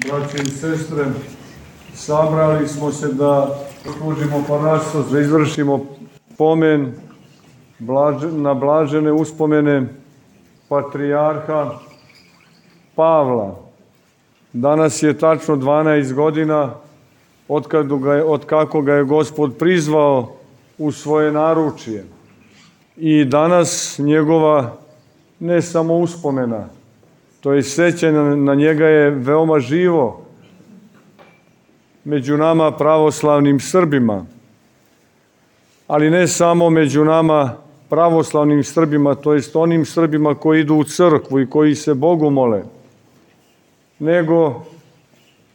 Braće i sestre, sabrali smo se da služimo parastos, da izvršimo pomen na blažene uspomene patrijarha Pavla. Danas je tačno 12 godina od kako ga je Gospod prizvao u svoje naručje. I danas njegova ne samo uspomena, to je sećanje na njega je veoma živo među nama pravoslavnim Srbima. Ali ne samo među nama pravoslavnim Srbima, to jest onim Srbima koji idu u crkvu i koji se Bogu mole, nego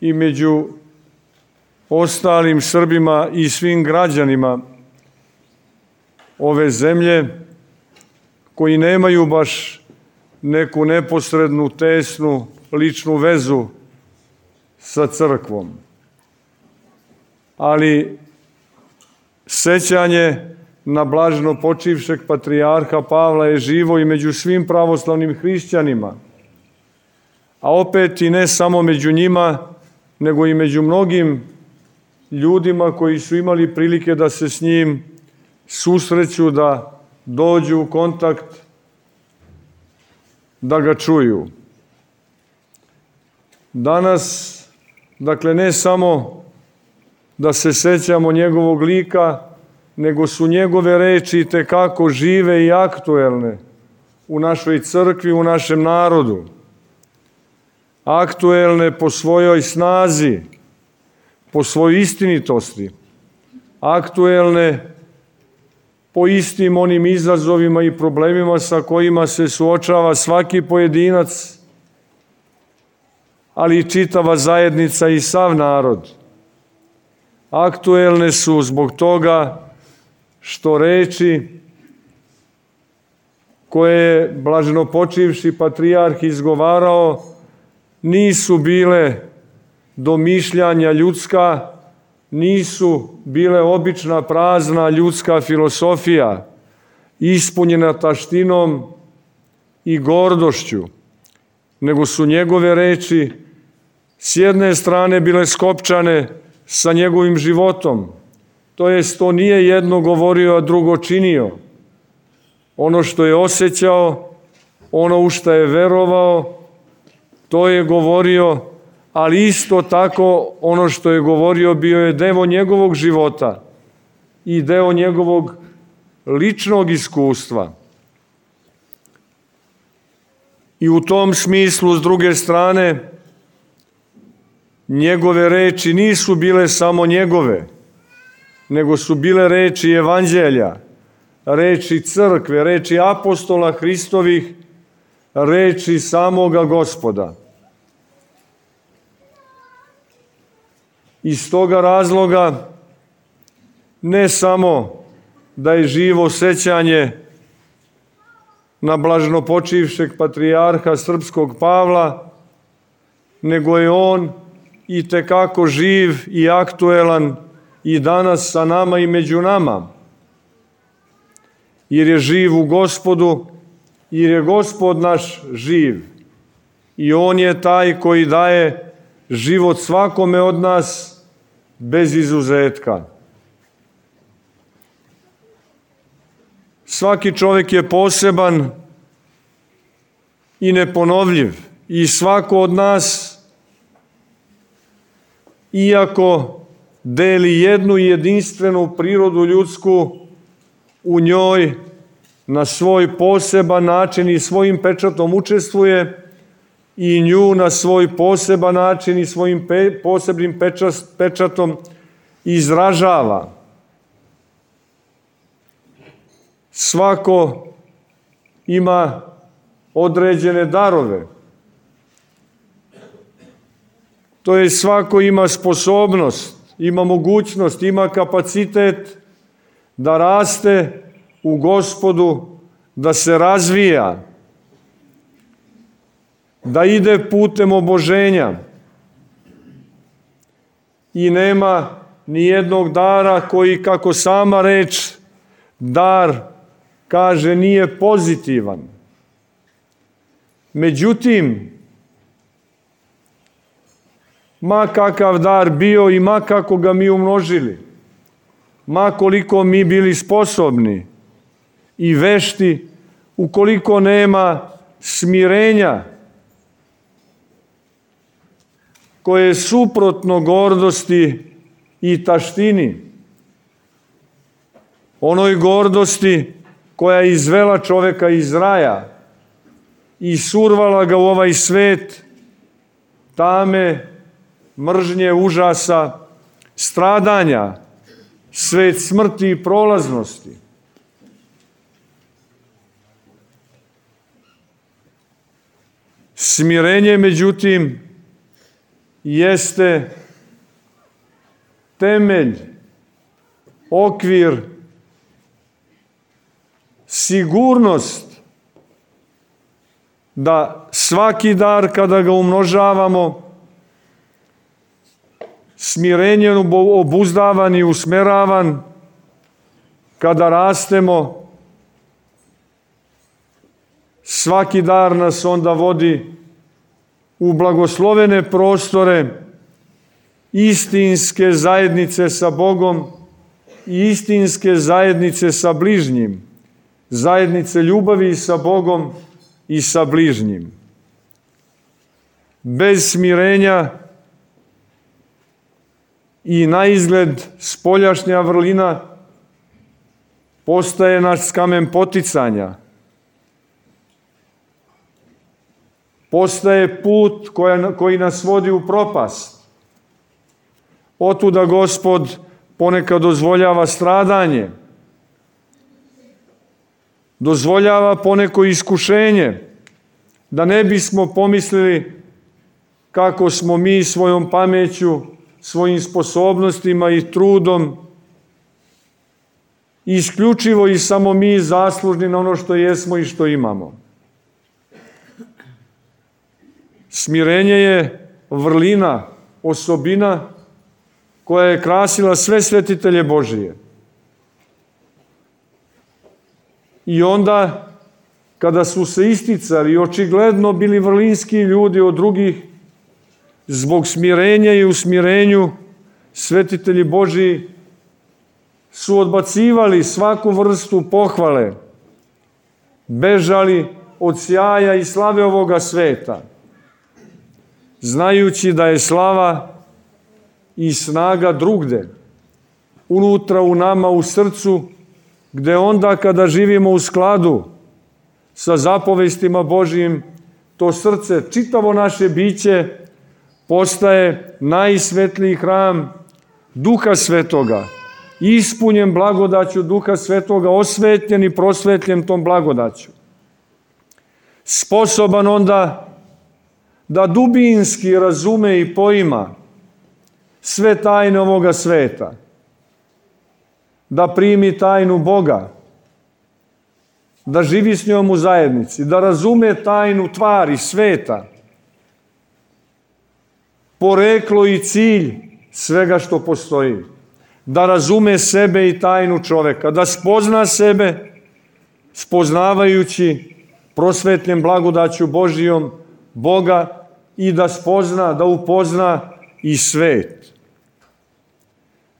i među ostalim Srbima i svim građanima ove zemlje koji nemaju baš neku neposrednu, tesnu, ličnu vezu sa crkvom. Ali sećanje na blaženo počivšeg patrijarha Pavla je živo i među svim pravoslavnim hrišćanima, a opet i ne samo među njima, nego i među mnogim ljudima koji su imali prilike da se s njim susreću, da dođu u kontakt, da ga čuju. Danas, dakle, ne samo da se sećamo njegovog lika, nego su njegove reči itekako žive i aktuelne u našoj crkvi, u našem narodu. Aktuelne po svojoj snazi, po svojoj istinitosti, aktuelne po istim onim izazovima i problemima sa kojima se suočava svaki pojedinac, ali i čitava zajednica i sav narod. Aktuelne su zbog toga što reči koje je blaženopočivši patrijarh izgovarao nisu bile domišljanja ljudska, nisu bile obična prazna ljudska filosofija, ispunjena taštinom i gordošću, nego su njegove reči s jedne strane bile skopčane sa njegovim životom, to jest to nije jedno govorio, a drugo činio. Ono što je osjećao, ono u što je verovao, to je govorio, ali isto tako ono što je govorio bio je deo njegovog života i deo njegovog ličnog iskustva. I u tom smislu, s druge strane, njegove reči nisu bile samo njegove, nego su bile reči evanđelja, reči crkve, reči apostola Hristovih, reči samoga Gospoda. Iz toga razloga ne samo da je živo sećanje na blaženopočivšeg patrijarha srpskog Pavla, nego je on itekako živ i aktuelan i danas sa nama i među nama. Jer je živ u Gospodu, jer je Gospod naš živ. I on je taj koji daje život svakome od nas bez izuzetka. Svaki čovjek je poseban i neponovljiv i svako od nas, iako deli jednu jedinstvenu prirodu ljudsku, u njoj na svoj poseban način i svojim pečatom učestvuje i nju na svoj poseban način i svojim posebnim pečatom izražava. Svako ima određene darove. To je svako ima sposobnost, ima mogućnost, ima kapacitet da raste u Gospodu, da se razvija, da ide putem oboženja. I nema ni jednog dara koji, kako sama reč dar kaže, nije pozitivan. Međutim, ma kakav dar bio i ma kako ga mi umnožili, ma koliko mi bili sposobni i vešti, ukoliko nema smirenja koje je suprotno gordosti i taštini, onoj gordosti koja je izvela čoveka iz raja i survala ga u ovaj svet tame, mržnje, užasa, stradanja, svet smrti i prolaznosti. Smirenje, međutim, jeste temelj, okvir, sigurnost da svaki dar kada ga umnožavamo, smirenjem obuzdavan i usmeravan, kada rastemo, svaki dar nas onda vodi u blagoslovene prostore istinske zajednice sa Bogom i istinske zajednice sa bližnjim, zajednice ljubavi sa Bogom i sa bližnjim. Bez smirenja i naizgled spoljašnja vrlina postaje naš kamen poticanja. Postaje put koji nas vodi u propast. Otuda Gospod ponekad dozvoljava stradanje, dozvoljava poneko iskušenje, da ne bismo pomislili kako smo mi svojom pameću, svojim sposobnostima i trudom isključivo i samo mi zaslužni na ono što jesmo i što imamo. Smirenje je vrlina, osobina koja je krasila sve svetitelje Božije. I onda, kada su se isticali i očigledno bili vrlinski ljudi od drugih, zbog smirenja i usmirenju, svetitelji Božiji su odbacivali svaku vrstu pohvale, bežali od sjaja i slave ovoga sveta, znajući da je slava i snaga drugde, unutra u nama, u srcu, gde onda kada živimo u skladu sa zapovestima Božijim, to srce, čitavo naše biće, postaje najsvetliji hram Duha Svetoga, ispunjen blagodaću Duha Svetoga, osvetljen i prosvetljen tom blagodaću. Sposoban onda da dubinski razume i poima sve tajne ovoga sveta, da primi tajnu Boga, da živi s njom u zajednici, da razume tajnu tvari sveta, poreklo i cilj svega što postoji, da razume sebe i tajnu čoveka, da spozna sebe, spoznavajući prosvetljen blagodaću Božijom Boga, i da spozna, da upozna i svet.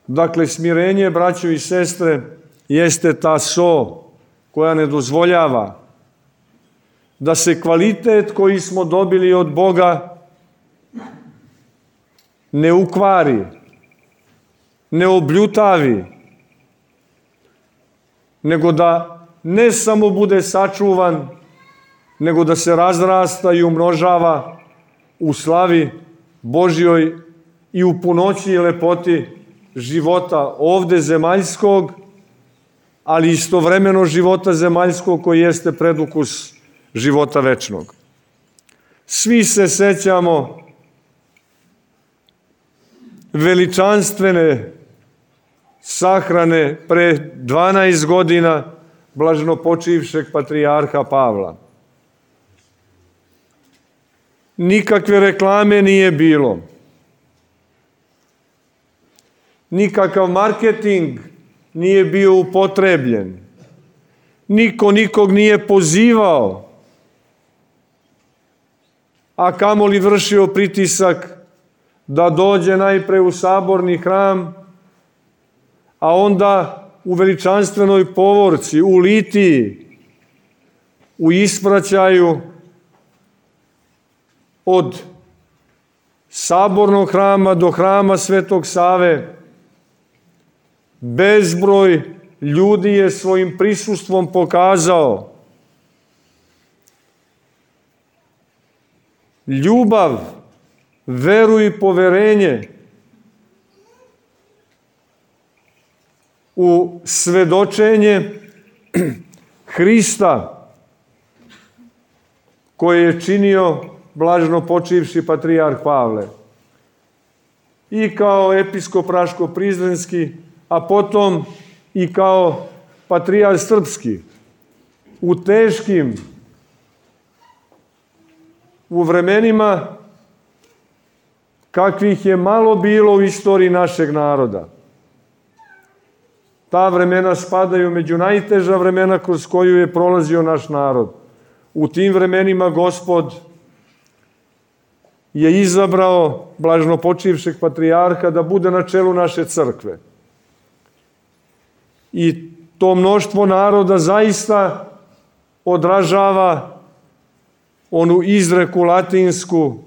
Dakle, smirenje, braćo i sestre, jeste ta so koja ne dozvoljava da se kvalitet koji smo dobili od Boga ne ukvari, ne obljutavi, nego da ne samo bude sačuvan, nego da se razrasta i umnožava u slavi Božjoj i u punoći i lepoti života ovde zemaljskog, ali istovremeno života zemaljskog koji jeste predukus života večnog. Svi se sećamo veličanstvene sahrane pre 12 godina blaženopočivšeg patrijarha Pavla. Nikakve reklame nije bilo. Nikakav marketing nije bio upotrebljen. Niko nikog nije pozivao, a kamoli vršio pritisak da dođe najpre u saborni hram, a onda u veličanstvenoj povorci, u litiji, u ispraćaju od sabornog hrama do hrama Svetog Save, bezbroj ljudi je svojim prisustvom pokazao ljubav, veru i poverenje u svedočenje Hrista koje je činio blaženo počivši patrijarh Pavle. I kao episkop Raško-Prizrenski, a potom i kao patrijarh srpski. U vremenima kakvih je malo bilo u istoriji našeg naroda. Ta vremena spadaju među najteža vremena kroz koju je prolazio naš narod. U tim vremenima Gospod je izabrao blaženo počivšeg patrijarha da bude na čelu naše crkve. I to mnoštvo naroda zaista odražava onu izreku latinsku: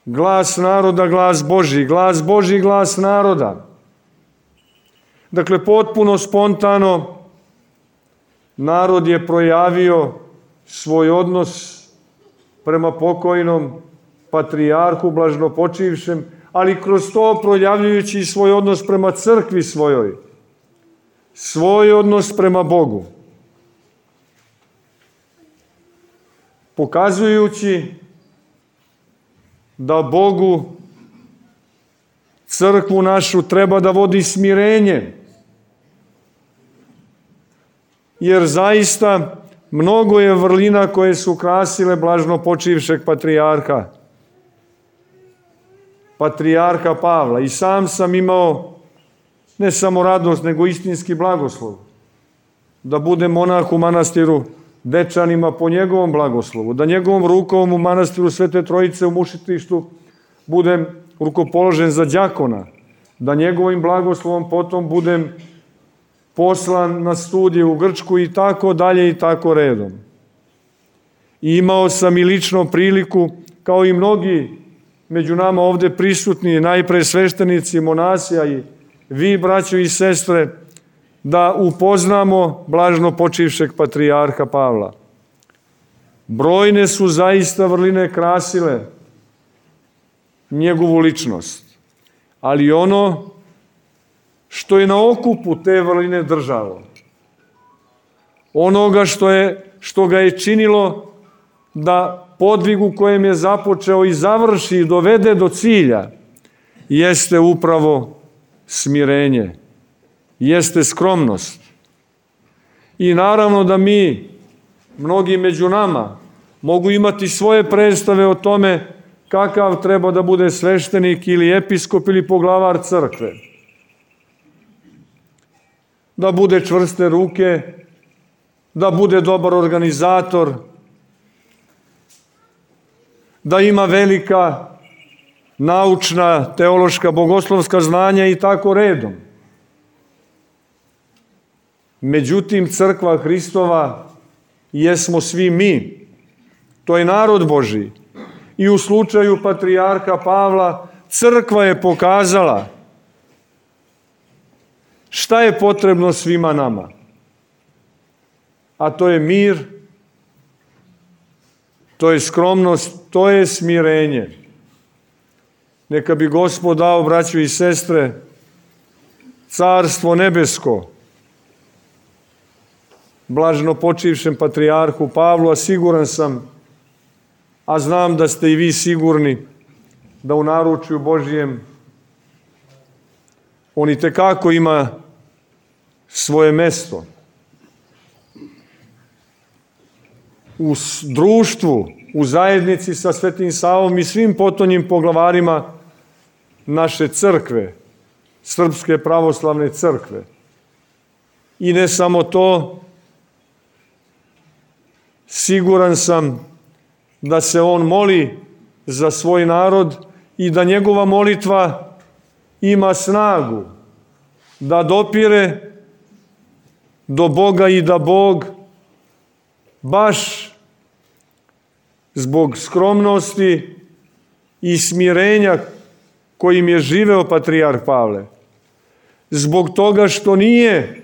glas naroda, glas Božji, glas Božji, glas naroda. Dakle, potpuno spontano narod je projavio svoj odnos prema pokojnom patrijarhu blaženopočivšem, ali kroz to projavljujući i svoj odnos prema crkvi svojoj, svoj odnos prema Bogu. Pokazujući da Bogu crkvu našu treba da vodi smirenje, jer zaista mnogo je vrlina koje su krasile blaženopočivšeg patrijarha Pavla. I sam sam imao ne samo radost, nego istinski blagoslov da budem monah u manastiru Dečanima po njegovom blagoslovu, da njegovom rukom u manastiru Svete Trojice u Mušitištu budem rukopoložen za đakona, da njegovim blagoslovom potom budem poslan na studije u Grčku i tako dalje i tako redom. I imao sam i lično priliku, kao i mnogi među nama ovde prisutni, najpre sveštenici, monasi, a i vi, braćo i sestre, da upoznamo blaženo počivšeg patrijarha Pavla. Brojne su zaista vrline krasile njegovu ličnost, ali ono što je na okupu te vrline držalo, onoga što ga je činilo da podvigu kojem je započeo i završi i dovede do cilja, jeste upravo smirenje, jeste skromnost. I naravno da mi, mnogi među nama, mogu imati svoje predstave o tome kakav treba da bude sveštenik ili episkop ili poglavar crkve. Da bude čvrste ruke, da bude dobar organizator, da ima velika naučna, teološka, bogoslovska znanja i tako redom. Međutim, crkva Hristova jesmo svi mi. To je narod Božji. I u slučaju patrijarha Pavla crkva je pokazala šta je potrebno svima nama. A to je mir, to je skromnost, to je smirenje. Neka bi Gospod dao, braćo i sestre, carstvo nebesko blaženo počivšem patrijarhu Pavlu, a siguran sam, a znam da ste i vi sigurni, da u naručju Božjem on i tekako ima svoje mesto. U društvu, u zajednici sa Svetim Savom i svim potonjim poglavarima naše crkve, Srpske pravoslavne crkve. I ne samo to, siguran sam da se on moli za svoj narod i da njegova molitva ima snagu da dopire do Boga i da Bog baš zbog skromnosti i smirenja kojim je živeo patrijarh Pavle, zbog toga što nije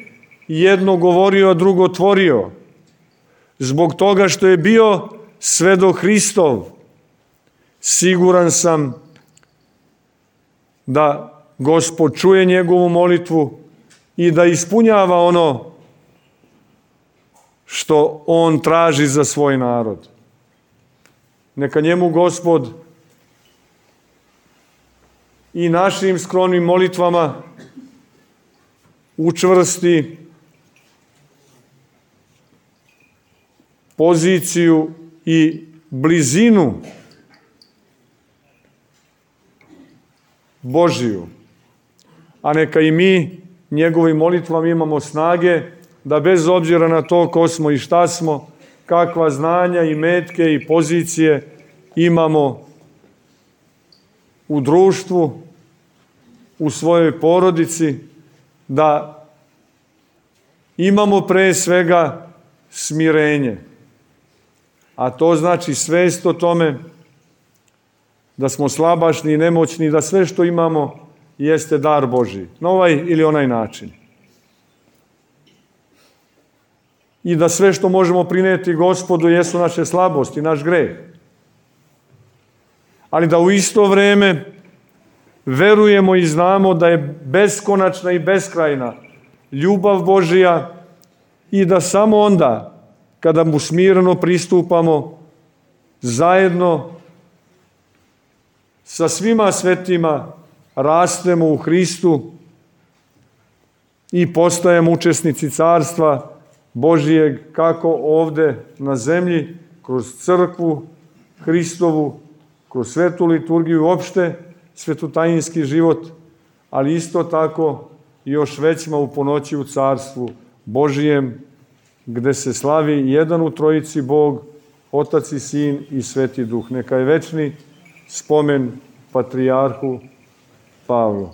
jedno govorio, a drugo tvorio, zbog toga što je bio svedok Hristov, siguran sam da Gospod čuje njegovu molitvu i da ispunjava ono što on traži za svoj narod. Neka njemu Gospod i našim skromnim molitvama učvrsti poziciju i blizinu Božiju. A neka i mi njegovim molitvama imamo snage da bez obzira na to ko smo i šta smo, kakva znanja i metke i pozicije imamo u društvu, u svojoj porodici, da imamo pre svega smirenje. A to znači svest o tome da smo slabašni i nemoćni, da sve što imamo jeste dar Božji, na ovaj ili onaj način. I da sve što možemo prineti Gospodu jesu naše slabosti, naš greh. Ali da u isto vreme verujemo i znamo da je beskonačna i beskrajna ljubav Božja i da samo onda, kada mu smireno pristupamo, zajedno sa svima svetima rastemo u Hristu i postajemo učesnici carstva Božijeg, kako ovde na zemlji, kroz crkvu Hristovu, kroz svetu liturgiju, uopšte svetotajinski život, ali isto tako još većma u ponoći u carstvu Božijem, gde se slavi jedan u trojici Bog, Otac i Sin i Sveti Duh. Neka je večni spomen patrijarhu Pavlu.